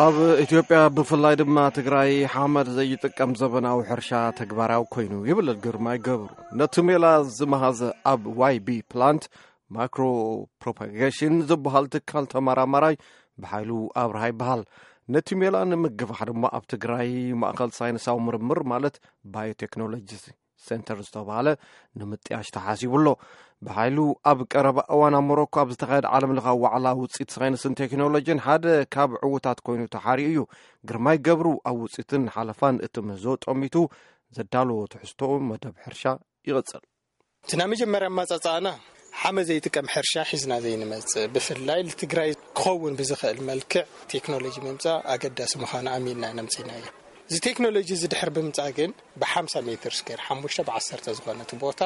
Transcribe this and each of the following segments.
ኣብ ኢትዮጵያ ብፍላይ ድማ ትግራይ ሓመድ ዘይጥቀም ዘበናዊ ሕርሻ ተግባራዊ ኮይኑ ይብል ግርማይ ገብሩ። ነቲ ሜላ ዝመሃዘ ኣብ ዋይ ቢ ፕላንት ማይክሮ ፕሮፓጌሽን ዝበሃል ትካል ተመራማራይ ብሓይሉ ኣብርሃ ይበሃል። ነቲ ሜላ ንምግፋሕ ድማ ኣብ ትግራይ ማእኸል ሳይንሳዊ ምርምር ማለት ባዮቴክኖሎጂ ሴንተር ዝተባህለ ንምጥያሽ ተሓሲቡ ኣሎ። ብሓይሉ ኣብ ቀረባ እዋን ኣብ ሞሮኮ ኣብ ዝተኻየደ ዓለም ለኻዊ ዋዕላ ውፅኢት ሳይንስን ቴክኖሎጂን ሓደ ካብ ዕውታት ኮይኑ ተሓሪኡ እዩ። ግርማይ ገብሩ ኣብ ውፅኢትን ሓለፋን እቲ ምህዞ ጠሚቱ ዘዳለዎ ትሕዝቶ መደብ ሕርሻ ይቕፅል። እቲ ናይ መጀመርያ ኣመጻጽኣና ሓመድ ዘይጥቀም ሕርሻ ሒዝና ዘይንመጽእ፣ ብፍላይ ንትግራይ ክኸውን ብዝኽእል መልክዕ ቴክኖሎጂ ምምጻእ ኣገዳሲ ምዃኑ ኣሚንና ኢና ኣምጺእናዮ። እዚ ቴክኖሎጂ እዚ ድሕር ብምምጻእ ግን ብ50 ሜትር ስኩዌር፣ ሓሙሽተ ብ10 ዝኾነት ቦታ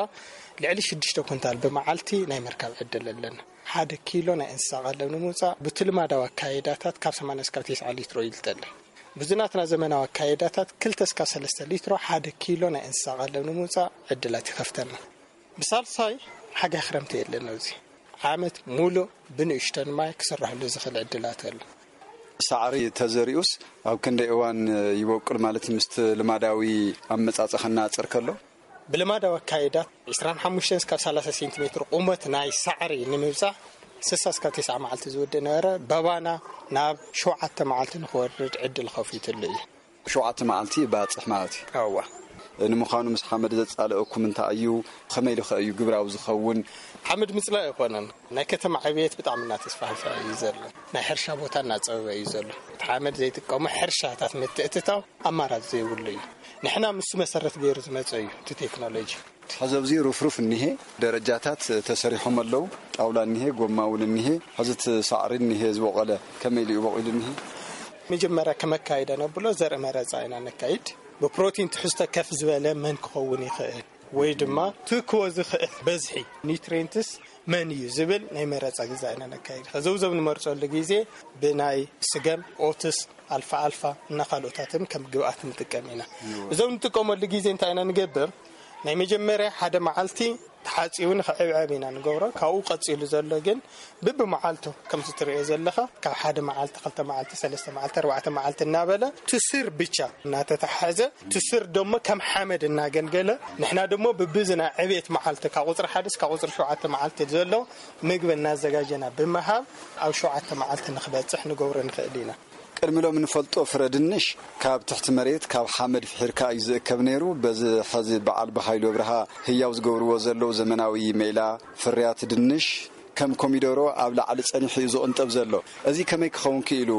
ልዕሊ ሽዱሽተ ኩንታል ብመዓልቲ ናይ ምርካብ ዕድል ኣለና። ሓደ ኪሎ ናይ እንስሳ ቀለብ ንምውጻእ ብቲ ልማዳዊ ኣካይዳታት ካብ ሰማንያ እስካብ ተስዓ ሊትሮ ይልጠለን። ብዚ ናትና ዘመናዊ ኣካይዳታት ክልተ እስካብ ሰለስተ ሊትሮ ሓደ ኪሎ ናይ እንስሳ ቀለብ ንምውጻእ ዕድላት ይኸፍተልና። ብሳልሳይ ሓጋይ ክረምቲ የለን። ኣብዚ ዓመት ሙሉእ ብንእሽተን ማይ ክስራሕሉ ዝኽእል ዕድላት ኣሎ። ሳዕሪ ተዘሪኡስ ኣብ ክንደይ እዋን ይበቁል? ማለት ምስቲ ልማዳዊ ኣመጻጽኣ ክነጻጸር ከሎ? ብልማዳዊ ኣካይዳ ዕስራን ሓሙሽተን እስካብ ሰላሳ ሴንቲሜትር ቁመት ናይ ሳዕሪ ንምብጻሕ ስሳ እስካብ ተስዓ መዓልቲ ዝወድእ ነበረ። በባና ናብ ሸውዓተ መዓልቲ ንኽወርድ ዕድል ከፊትሉ እዩ። ሸውዓተ መዓልቲ ይባጽሕ ማለት እዩ። እዋ። ንምዃኑ ምስ ሓመድ ዘጻልአኩም እንታይ እዩ? ከመይ ኢሉ ኸ እዩ ግብራዊ ዝኸውን? ሓመድ ምጽላእ ኣይኮነን። ናይ ከተማ ዕብየት ብጣዕሚ እናተስፋሕፈሐ እዩ ዘሎ። ናይ ሕርሻ ቦታ እናጸበበ እዩ ዘሎ። እቲ ሓመድ ዘይጥቀሙ ሕርሻታት ምትእትታው ኣማራጺ ዘይብሉ እዩ። ንሕና ምስ መሰረት ገይሩ ዝመጸ እዩ እቲ ቴክኖሎጂ። ሕዚ ኣብዚ ሩፍሩፍ እኒሄ፣ ደረጃታት ተሰሪሖም ኣለዉ። ጣውላ እኒሄ፣ ጎማ እውን እኒሄ። ሕዚ እቲ ሳዕሪ እኒሄ ዝበቆለ፣ ከመይ ኢሉ እዩ በቂሉ እኒሄ? መጀመርያ ከመካይደ ነብሎ ዘርኢ መረፃ ኢና ነካይድ። ብፕሮቲን ትሕዝቶ ከፍ ዝበለ መን ክኸውን ይኽእል ወይ ድማ ትክዎ ዝኽእል በዝሒ ኒትሬንትስ መን እዩ ዝብል ናይ መረፃ ግዛ ኢና ነካይድ። ከዚ እዞም ንመርፀሉ ግዜ ብናይ ስገም፣ ኦትስ፣ ኣልፋ ኣልፋ እና ካልኦታትን ከም ግብኣት ንጥቀም ኢና። እዞም ንጥቀመሉ ግዜ እንታይ ኢና ንገብር? ናይ መጀመርያ ሓደ መዓልቲ ተሓፂቡ ንኽዕብዕብ ኢና ንገብሮ። ካብኡ ቀፂሉ ዘሎ ግን ብብመዓልቱ ከምዚ ትሪኦ ዘለኻ ካብ ሓደ መዓልቲ፣ ክልተ መዓልቲ፣ ሰለስተ መዓልቲ፣ ኣርባዕተ መዓልቲ እናበለ ትስር ብቻ እናተተሓዘ ትስር ደሞ ከም ሓመድ እናገልገለ ንሕና ደሞ ብብዚ ናይ ዕብየት መዓልቲ ካብ ቁፅሪ ሓደ እስካብ ቁፅሪ ሸውዓተ መዓልቲ ዘሎ ምግቢ እናዘጋጀና ብምሃብ ኣብ ሸውዓተ መዓልቲ ንኽበፅሕ ንገብሮ ንኽእል ኢና። ቅድሚ ሎም ንፈልጦ ፍረ ድንሽ ካብ ትሕቲ መሬት ካብ ሓመድ ፍሒርካ እዩ ዝእከብ ነይሩ። በዚ ሐዚ በዓል ብሃይሉ ኣብርሃ ህያው ዝገብርዎ ዘለዉ ዘመናዊ ሜላ ፍርያት ድንሽ ከም ኮሚደሮ ኣብ ላዕሊ ጸኒሑ እዩ ዝቕንጠብ ዘሎ። እዚ ከመይ ክኸውን ክኢሉ?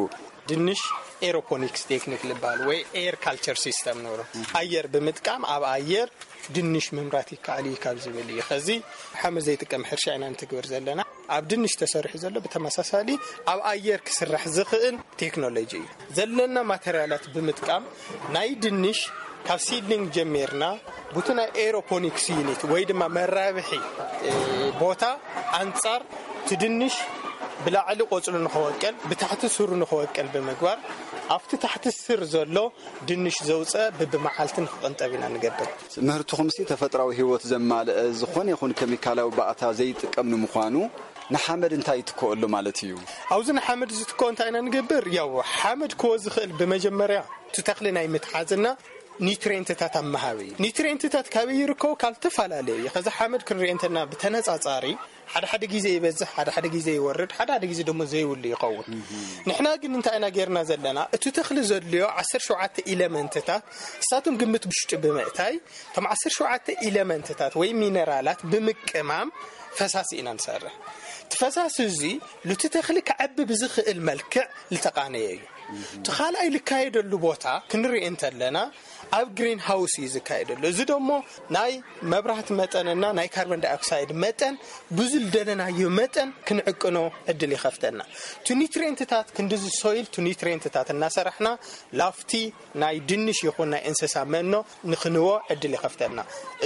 ድንሽ ኤሮፖኒክስ ቴክኒክ ልበሃል ወይ ኤር ካልቸር ሲስተም ንብሎ። ኣየር ብምጥቃም ኣብ ኣየር ድንሽ ምምራት ይከኣል እዩ ካብ ዝብል እዩ። ከዚ ሓመድ ዘይጥቀም ሕርሻ ኢና ንትግብር ዘለና። ኣብ ድንሽ ተሰሪሑ ዘሎ ብተመሳሳሊ ኣብ ኣየር ክስራሕ ዝኽእል ቴክኖሎጂ እዩ። ዘለና ማተርያላት ብምጥቃም ናይ ድንሽ ካብ ሲድሊንግ ጀሚርና ቡቲ ናይ ኤሮፖኒክስ ዩኒት ወይ ድማ መራብሒ ቦታ ኣንጻር እቲ ድንሽ ብላዕሊ ቆጽሉ ንኽወቅል ብታሕቲ ስሩ ንኽወቅል ብምግባር ኣብቲ ታሕቲ ስር ዘሎ ድንሽ ዘውፀ ብብመዓልትን ክቕንጠብ ኢና ንገብር። ምህርትኹምሲ ተፈጥራዊ ህይወት ዘማልአ ዝኾነ ይኹን ኬሚካላዊ ባእታ ዘይጥቀም ንምዃኑ ንሓመድ እንታይ ይትክኦ ኣሎ ማለት እዩ? ኣብዚ ንሓመድ ዝትክኦ እንታይ ኢና ንገብር? ያው ሓመድ ክወ ዝኽእል ብመጀመርያ እቲ ተኽሊ ናይ ምትሓዝና ኒትሬንትታት ኣብ ምሃብ እዩ። ኒትሬንትታት ካበይ ይርከቡ? ካብ ዝተፈላለዩ እዩ። ከዚ ሓመድ ክንሪኦ እንተና ብተነጻጻሪ ሓደ ሓደ ግዜ ይበዝሕ፣ ሓደ ሓደ ግዜ ይወርድ፣ ሓደ ሓደ ግዜ ደሞ ዘይብሉ ይኸውን። ንሕና ግን እንታይ ኢና ጌርና ዘለና? እቲ ተኽሊ ዘድልዮ ዓሰርተ ሸውዓተ ኢለመንትታት እሳቶም ግምት ብሽጡ ብምእታይ እቶም ዓሰርተ ሸውዓተ ኢለመንትታት ወይ ሚነራላት ብምቅማም ፈሳሲ ኢና ንሰርሕ። እቲ ፈሳሲ እዚ ሉቲ ተኽሊ ክዓቢ ብዝኽእል መልክዕ ዝተቓነየ እዩ። እቲ ካልኣይ ልካየደሉ ቦታ ክንርኢ እንተለና ኣብ ግሪን ሃውስ እዩ ዝካየደሉ። እዚ ደሞ ናይ መብራህቲ መጠንና ናይ ካርቦን ዳይኦክሳይድ መጠን ብዙ ዝደለናዮ መጠን ክንዕቅኖ ዕድል ይኸፍተና። እቲ ኒትሬንትታት ክንድዚ ሶይል እቲ ኒትሬንትታት እናሰራሕና ላፍቲ ናይ ድንሽ ይኹን ናይ እንስሳ መኖ ንኽንዎ ዕድል ይኸፍተና።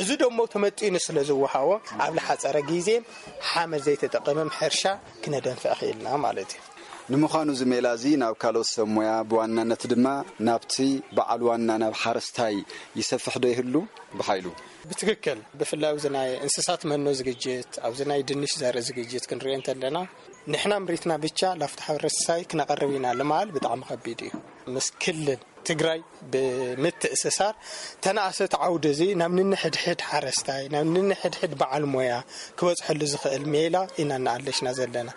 እዚ ደሞ ተመጢኑ ስለ ዝወሃቦ ኣብ ልሓፀረ ግዜ ሓመድ ዘይተጠቐመም ሕርሻ ክነደንፍዕ ክኢልና ማለት እዩ። ንምዃኑ እዚ ሜላ እዚ ናብ ካልኦት ሰብ ሞያ፣ ብዋናነት ድማ ናብቲ በዓል ዋና ናብ ሓረስታይ ይሰፍሕ ዶ ይህሉ? ብሓይሉ። ብትክክል፣ ብፍላይ ኣብዚ ናይ እንስሳት መኖ ዝግጅት፣ ኣብዚ ናይ ድንሽ ዘርኢ ዝግጅት ክንሪኦ እንተለና፣ ንሕና ምሪትና ብቻ ላፍታ ሓረስታይ ክነቐርብ ኢና ልማል ብጣዕሚ ከቢድ እዩ። ምስ ክልል ትግራይ ብምትእስሳር ተነኣሰ እቲ ዓውዲ እዚ ናብ ንንሕድሕድ ሓረስታይ፣ ናብ ንንሕድሕድ በዓል ሞያ ክበፅሐሉ ዝኽእል ሜላ ኢና እናኣለሽና ዘለና።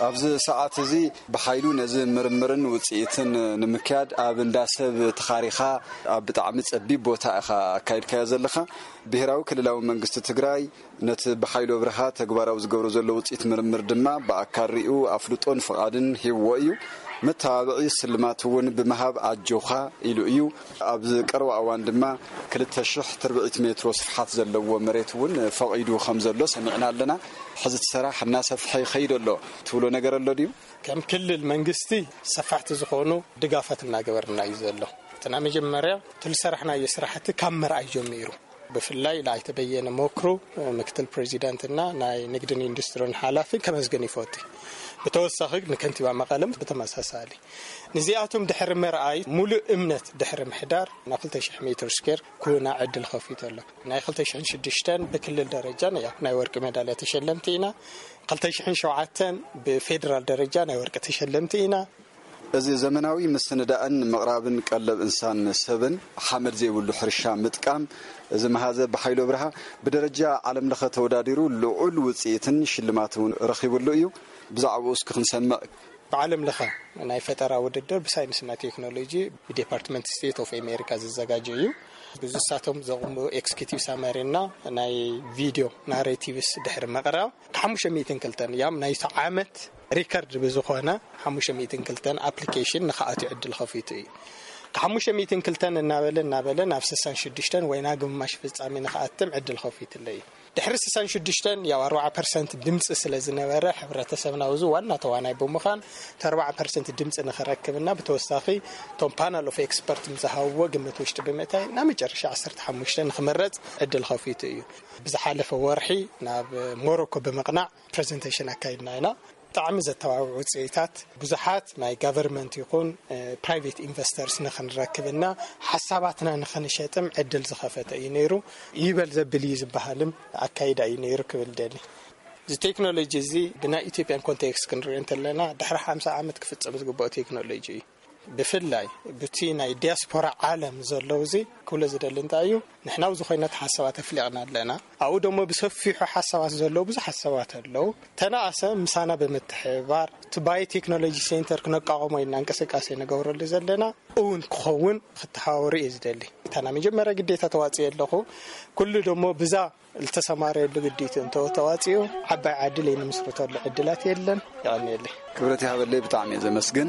ኣብዚ ሰዓት እዚ ብሓይሉ ነዚ ምርምርን ውፅኢትን ንምክያድ ኣብ እንዳ ሰብ ተኻሪኻ ኣብ ብጣዕሚ ጸቢብ ቦታ ኢኻ ኣካይድካዮ ዘለኻ። ብሄራዊ ክልላዊ መንግስቲ ትግራይ ነቲ ብሓይሉ ኣብርሃ ተግባራዊ ዝገብሮ ዘሎ ውፅኢት ምርምር ድማ ብኣካል ሪኡ ኣፍልጦን ፍቓድን ሂብዎ እዩ። መተባብዒ ስልማት እውን ብምሃብ ኣጆኻ ኢሉ እዩ። ኣብ ቀረባ እዋን ድማ ክልተ ሽሕ ትርብዒት ሜትሮ ስፍሓት ዘለዎ መሬት እውን ፈቒዱ ከም ዘሎ ሰሚዕና ኣለና። ሕዚ እቲ ሰራሕ እናሰፍሐ ይኸይድ ኣሎ ትብሎ ነገር ኣሎ ድዩ? ከም ክልል መንግስቲ ሰፋሕቲ ዝኾኑ ድጋፋት እናገበርና እዩ ዘሎ። እቲ ናይ መጀመርያ እቲ ዝሰራሕናዮ ስራሕቲ ካብ መርኣይ ጀሚሩ፣ ብፍላይ ለኣይተ በየነ መክሩ፣ ምክትል ፕሬዚዳንትና ናይ ንግድን ኢንዱስትሪን ሓላፊ ከመስግን ይፈቱ። ብተወሳኺ ንከንቲባ መቐለም ብተመሳሳሊ። ንዚኣቶም ድሕሪ መርኣይ፣ ሙሉእ እምነት ድሕሪ ምሕዳር፣ ናብ ክልተ ሽሕ ሜትር ስኩዌር ኩና ዕድል ከፊቱ ኣሎ። ናይ ክልተ ሽሕን ሽዱሽተን ብክልል ደረጃ ናይ ወርቂ ሜዳልያ ተሸለምቲ ኢና። ክልተ ሽሕን ሸውዓተን ብፌደራል ደረጃ ናይ ወርቂ ተሸለምቲ ኢና። እዚ ዘመናዊ ምስንዳእን ምቕራብን ቀለብ እንስሳን ሰብን ሓመድ ዘይብሉ ሕርሻ ምጥቃም፣ እዚ መሃዘ ብሓይሎ ብርሃ ብደረጃ ዓለም ለኸ ተወዳዲሩ ልዑል ውፅኢትን ሽልማት እውን ረኺብሉ እዩ። ብዛዕባኡ እስኪ ክንሰምዕ። ብዓለም ለኸ ናይ ፈጠራ ውድድር ብሳይንስና ቴክኖሎጂ ብዴፓርትመንት ስቴት ኦፍ ኣሜሪካ ዝዘጋጀ እዩ። ብዝሳቶም ዘቕሙ ኤክስኪዩቲቭ ሳመሪ እና ናይ ቪዲዮ ናሬቲቭስ ድሕሪ ምቕራብ፣ ሓሙሽተ ሚእትን ክልተን ያም ናይቲ ዓመት ሪከርድ ብዝኾነ ሓሙሽተ ሚእትን ክልተን ኣፕሊኬሽን ንኽኣትዩ ዕድል ከፊቱ እዩ። ካብ ሓሙሽተ ሚእትን ክልተን እናበለ እናበለ ናብ ስሳን ሽዱሽተን ወይ ናብ ግማሽ ፍጻሜ ንኽኣትም ዕድል ከፊትለ እዩ። ድሕሪ ስሳን ሽዱሽተን ያው ኣርባዓ ፐርሰንት ድምፂ ስለ ዝነበረ፣ ሕብረተሰብና ውዙ ዋና ተዋናይ ብምዃን እቲ ኣርባዓ ፐርሰንት ድምፂ ንኽረክብና ብተወሳኺ እቶም ፓናል ኦፍ ኤክስፐርት ምስ ዝሃብዎ ግምት ውሽጢ ብምእታይ ናብ መጨረሻ ዓሰርተ ሓሙሽተ ንኽመረፅ ዕድል ከፊቱ እዩ። ብዝሓለፈ ወርሒ ናብ ሞሮኮ ብምቕናዕ ፕሬዘንቴሽን ኣካይድና ኢና። ብጣዕሚ ዘተባብዑ ውፅኢታት፣ ብዙሓት ናይ ጋቨርመንት ይኹን ፕራይቬት ኢንቨስተርስ ንኽንረክብና ሓሳባትና ንኽንሸጥም ዕድል ዝኸፈተ እዩ ነይሩ። ይበል ዘብል እዩ ዝበሃልም ኣካይዳ እዩ ነይሩ ክብል ደሊ። እዚ ቴክኖሎጂ እዚ ብናይ ኢትዮጵያን ኮንቴክስት ክንሪኦ እንተለና ድሕሪ ሓምሳ ዓመት ክፍፀም ዝግብኦ ቴክኖሎጂ እዩ። ብፍላይ ብቲ ናይ ዲያስፖራ ዓለም ዘለዉ እዚ ክብሎ ዝደሊ እንታይ እዩ፣ ንሕና ኣብዚ ኮይና ሓሳባት ኣፍሊቕና ኣለና። ኣብኡ ደሞ ብሰፊሑ ሓሳባት ዘለዉ ብዙሕ ሓሳባት ኣለዉ። ተነኣሰ ምሳና ብምትሕብባር እቲ ባዮ ቴክኖሎጂ ሴንተር ክነቋቑሞ ኢና እንቅስቃሴ ንገብረሉ ዘለና እውን ክኸውን ክተሓባበሩ እየ ዝደሊ። እታ ናይ መጀመርያ ግዴታ ተዋፅኦ ኣለኹ። ኩሉ ደሞ ብዛ ዝተሰማረየሉ ግዲቱ እንተወተዋፂኡ ዓባይ ዓድል ንምስርተሉ ዕድላት የለን። የቐንየለይ። ክብረት ይሃበለይ፣ ብጣዕሚ እየ ዘመስግን።